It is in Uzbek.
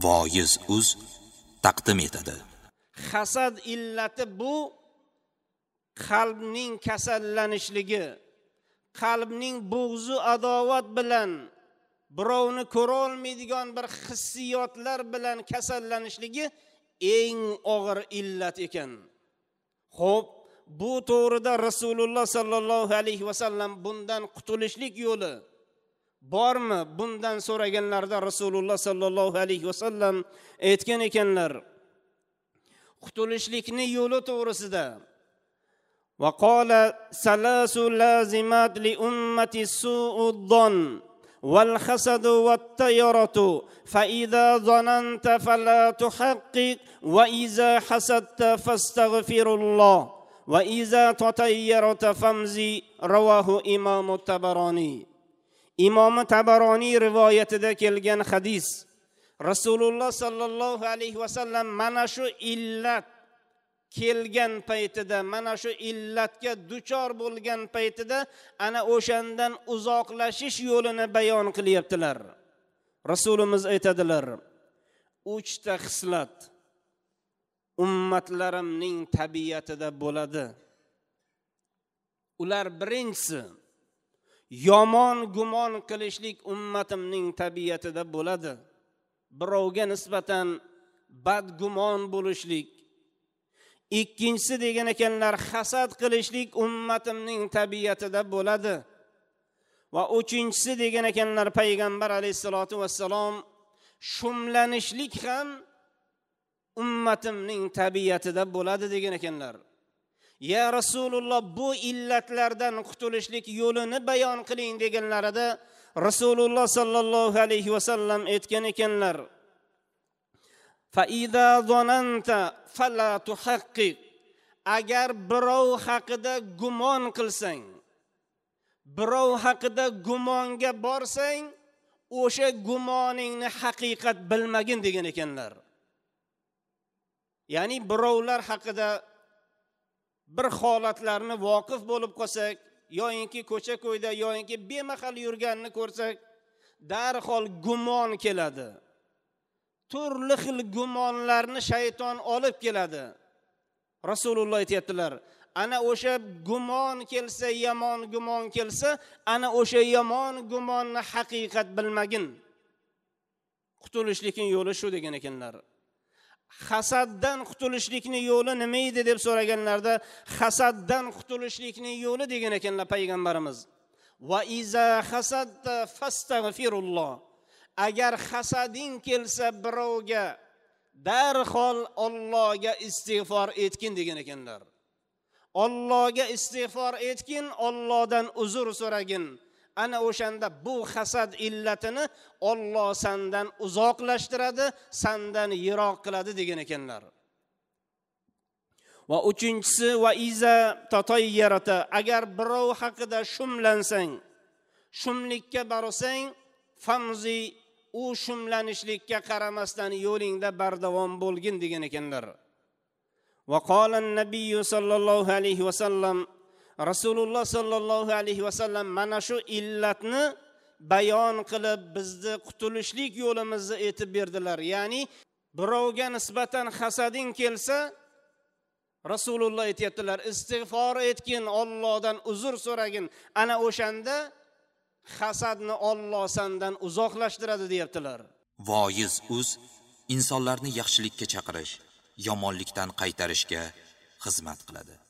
Voiz uz taqdim etadi. Hasad illati bu qalbning kasallanishligi, qalbning bo'g'zi adovat bilan, birovni ko'ra olmaydigan bir hissiyotlar bilan kasallanishligi eng og'ir illat ekan. Xo'p, bu to'g'rida Rasululloh sallallohu alayhi vasallam bundan qutulishlik yo'li bormi? Bundan so'raganlarida Rasululloh sallallohu alayhi vasallam aytgan ekanlar, qutulishlikni yo'li to'g'risida va qala salasu lazimat li ummati su'ud-don wal hasadu wat tayaratu fa idza zananta fala tuhaqqiq wa idza hasadta fastaghfirulloh va idza tatayyarta famzi. Rawahu Imom Tabaroniy. Imom Tabaroniy rivoyatida kelgan hadis. Rasululloh sallallohu alayhi vasallam mana shu illat kelgan paytida, mana shu illatga duchor bo'lgan paytida ana o'shandan uzoqlashish yo'lini bayon qilyaptilar. Rasulimiz aytadilar, uchta xislat ummatlarimning tabiatida bo'ladi. Ular birinchisi yomon gumon qilishlik ummatimning tabiatida bo'ladi. Birovga nisbatan badgumon bo'lishlik. Ikkinchisi degan ekanlar, hasad qilishlik ummatimning tabiatida bo'ladi. Va uchinchisi degan ekanlar payg'ambar alayhissalatu vassalom, shumlanishlik ham ummatimning tabiatida bo'ladi degan ekanlar. Ya Rasululloh, bu illatlardan qutulishlik yo'lini bayon qiling deganlarida Rasululloh sallallohu alayhi vasallam aytgan ekanlar, fa iza zananta fala tuhaqqiq. Agar birov haqida gumon qilsang, birov haqida gumonga borsang, o'sha gumoningni haqiqat bilmagin degan ekanlar. Ya'ni birovlar haqida bir holatlarni voqif bo'lib qolsak, yoyinki ko'cha-ko'yda, yoyinki bemahal yurganini ko'rsak, darhol gumon keladi. Turli xil gumonlarni shayton olib keladi. Rasululloh aytayaptilar, ana o'sha gumon kelsa, yomon gumon kelsa, ana o'sha yomon gumonni haqiqat bilmagin. Qutulishlikning yo'li shu degan ekanlar. Hasaddan qutulishlikning yo'li nima edi deb so'raganlarda, hasaddan qutulishlikning yo'li degan ekanlar payg'ambarimiz. Va iza hasadta fastaghfirulloh. Agar hasading kelsa birovga, darhol Allohga istig'for etgin degan ekanlar. Allohga istig'for etgin, Allohdan uzr so'ragin. Ana o'shanda bu hasad illatini Alloh sendan uzoqlashtiradi, sendan yiroq qiladi degan ekanlar. Va uchinchisi va iza tatayyarata. Agar birov haqida shumlansang, shumlikka borsang, famzi, u shumlanishlikka qaramasdan yo'lingda bardavom bo'lgin degan ekanlar. Va qala an-nabiy sallallohu alayhi vasallam, Rasululloh sallallohu alayhi vasallam mana shu illatni bayon qilib bizni qutulishlik yo'limizni aytib berdilar. Ya'ni birovga nisbatan hasading kelsa, Rasululloh aytayaptilar, istig'for etgin, Allohdan uzr so'ragin. Ana o'shanda hasadni Alloh sendan uzoqlashtiradi deyaptilar. Voiz uz insonlarni yaxshilikka chaqirish, yomonlikdan qaytarishga xizmat qiladi.